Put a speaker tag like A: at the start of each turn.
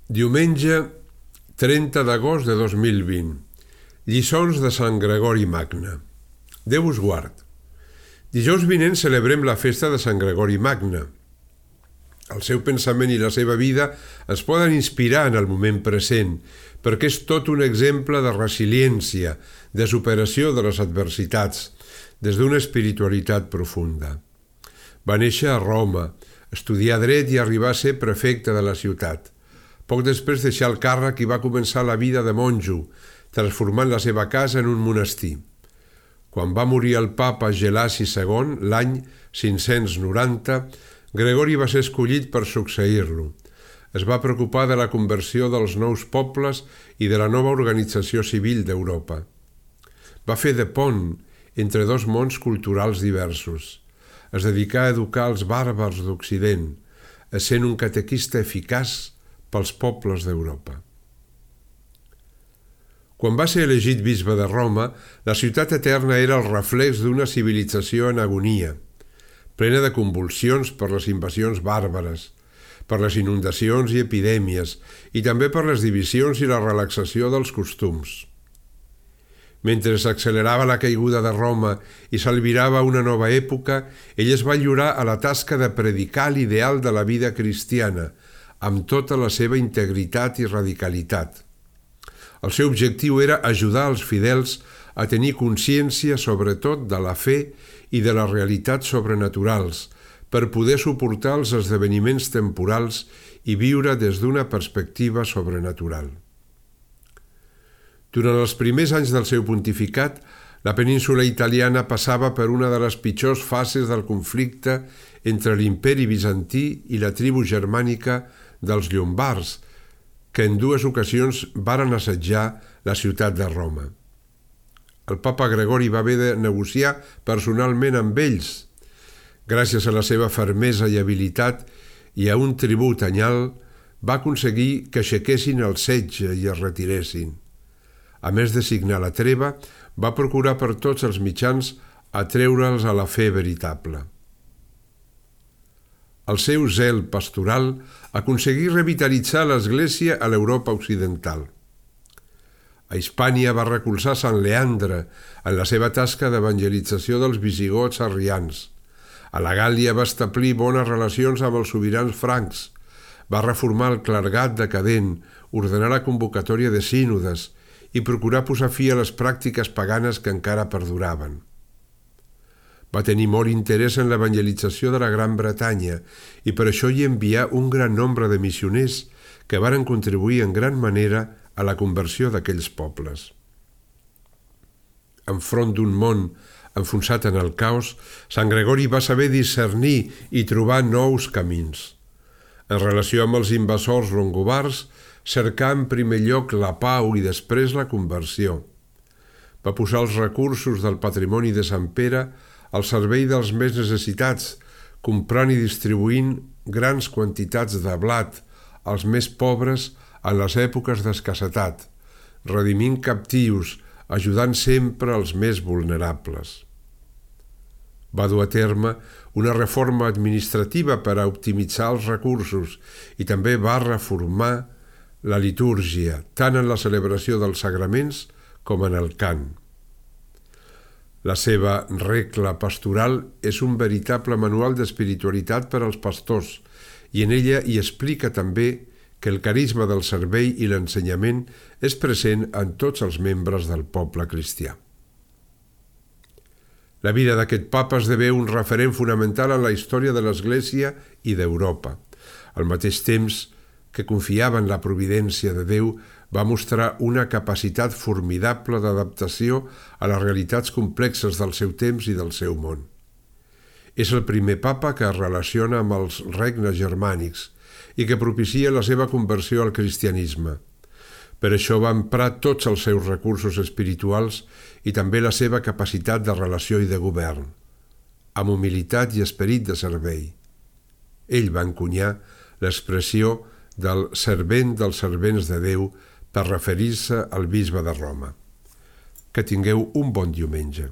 A: Diumenge 30 d'agost de 2020. Lliçons de Sant Gregori Magne. Déu us guard. Dijous vinent celebrem la festa de Sant Gregori Magne. El seu pensament i la seva vida ens poden inspirar en el moment present, perquè és tot un exemple de resiliència, de superació de les adversitats, des d'una espiritualitat profunda. Va néixer a Roma, estudiar dret i arribar a ser prefecte de la ciutat. Poc després deixà el càrrec i va començar la vida de monjo, transformant la seva casa en un monestir. Quan va morir el papa Gelasi II, l'any 590, Gregori va ser escollit per succeir-lo. Es va preocupar de la conversió dels nous pobles i de la nova organització civil d'Europa. Va fer de pont entre dos mons culturals diversos. Es dedicà a educar els bàrbars d'Occident, essent un catequista eficaç pels pobles d'Europa. Quan va ser elegit bisbe de Roma, la ciutat eterna era el reflex d'una civilització en agonia, plena de convulsions per les invasions bàrbares, per les inundacions i epidèmies, i també per les divisions i la relaxació dels costums. Mentre s'accelerava la caiguda de Roma i s'albirava una nova època, ell es va lliurar a la tasca de predicar l'ideal de la vida cristiana, amb tota la seva integritat i radicalitat. El seu objectiu era ajudar els fidels a tenir consciència sobretot de la fe i de les realitats sobrenaturals, per poder suportar els esdeveniments temporals i viure des d'una perspectiva sobrenatural. Durant els primers anys del seu pontificat, la península italiana passava per una de les pitjors fases del conflicte entre l'imperi bizantí i la tribu germànica dels llombards, que en dues ocasions varen assetjar la ciutat de Roma. El papa Gregori va haver de negociar personalment amb ells. Gràcies a la seva fermesa i habilitat i a un tribut anyal, va aconseguir que aixequessin el setge i es retiressin. A més de signar la treva, va procurar per tots els mitjans atreure'ls a la fe veritable. El seu zel pastoral aconseguí revitalitzar l'Església a l'Europa occidental. A Hispània va recolzar Sant Leandre en la seva tasca d'evangelització dels visigots arrians. A la Gàl·lia va establir bones relacions amb els sobirans francs. Va reformar el clergat decadent, ordenar la convocatòria de sínodes i procurar posar fi a les pràctiques paganes que encara perduraven. Va tenir molt interès en l'evangelització de la Gran Bretanya i per això hi envià un gran nombre de missioners que varen contribuir en gran manera a la conversió d'aquells pobles. Enfront d'un món enfonsat en el caos, Sant Gregori va saber discernir i trobar nous camins. En relació amb els invasors longobards, cercà en primer lloc la pau i després la conversió. Va posar els recursos del patrimoni de Sant Pere al servei dels més necessitats, comprant i distribuint grans quantitats de blat als més pobres en les èpoques d'escassetat, redimint captius, ajudant sempre els més vulnerables. Va dur a terme una reforma administrativa per a optimitzar els recursos i també va reformar la litúrgia, tant en la celebració dels sagraments com en el cant. La seva regla pastoral és un veritable manual d'espiritualitat per als pastors i en ella hi explica també que el carisma del servei i l'ensenyament és present en tots els membres del poble cristià. La vida d'aquest papa esdevé un referent fonamental en la història de l'Església i d'Europa. Al mateix temps que confiava en la providència de Déu, va mostrar una capacitat formidable d'adaptació a les realitats complexes del seu temps i del seu món. És el primer papa que es relaciona amb els regnes germànics i que propicia la seva conversió al cristianisme. Per això va emprar tots els seus recursos espirituals i també la seva capacitat de relació i de govern, amb humilitat i esperit de servei. Ell va encunyar l'expressió del servent dels servents de Déu per referir-se al bisbe de Roma. Que tingueu un bon diumenge.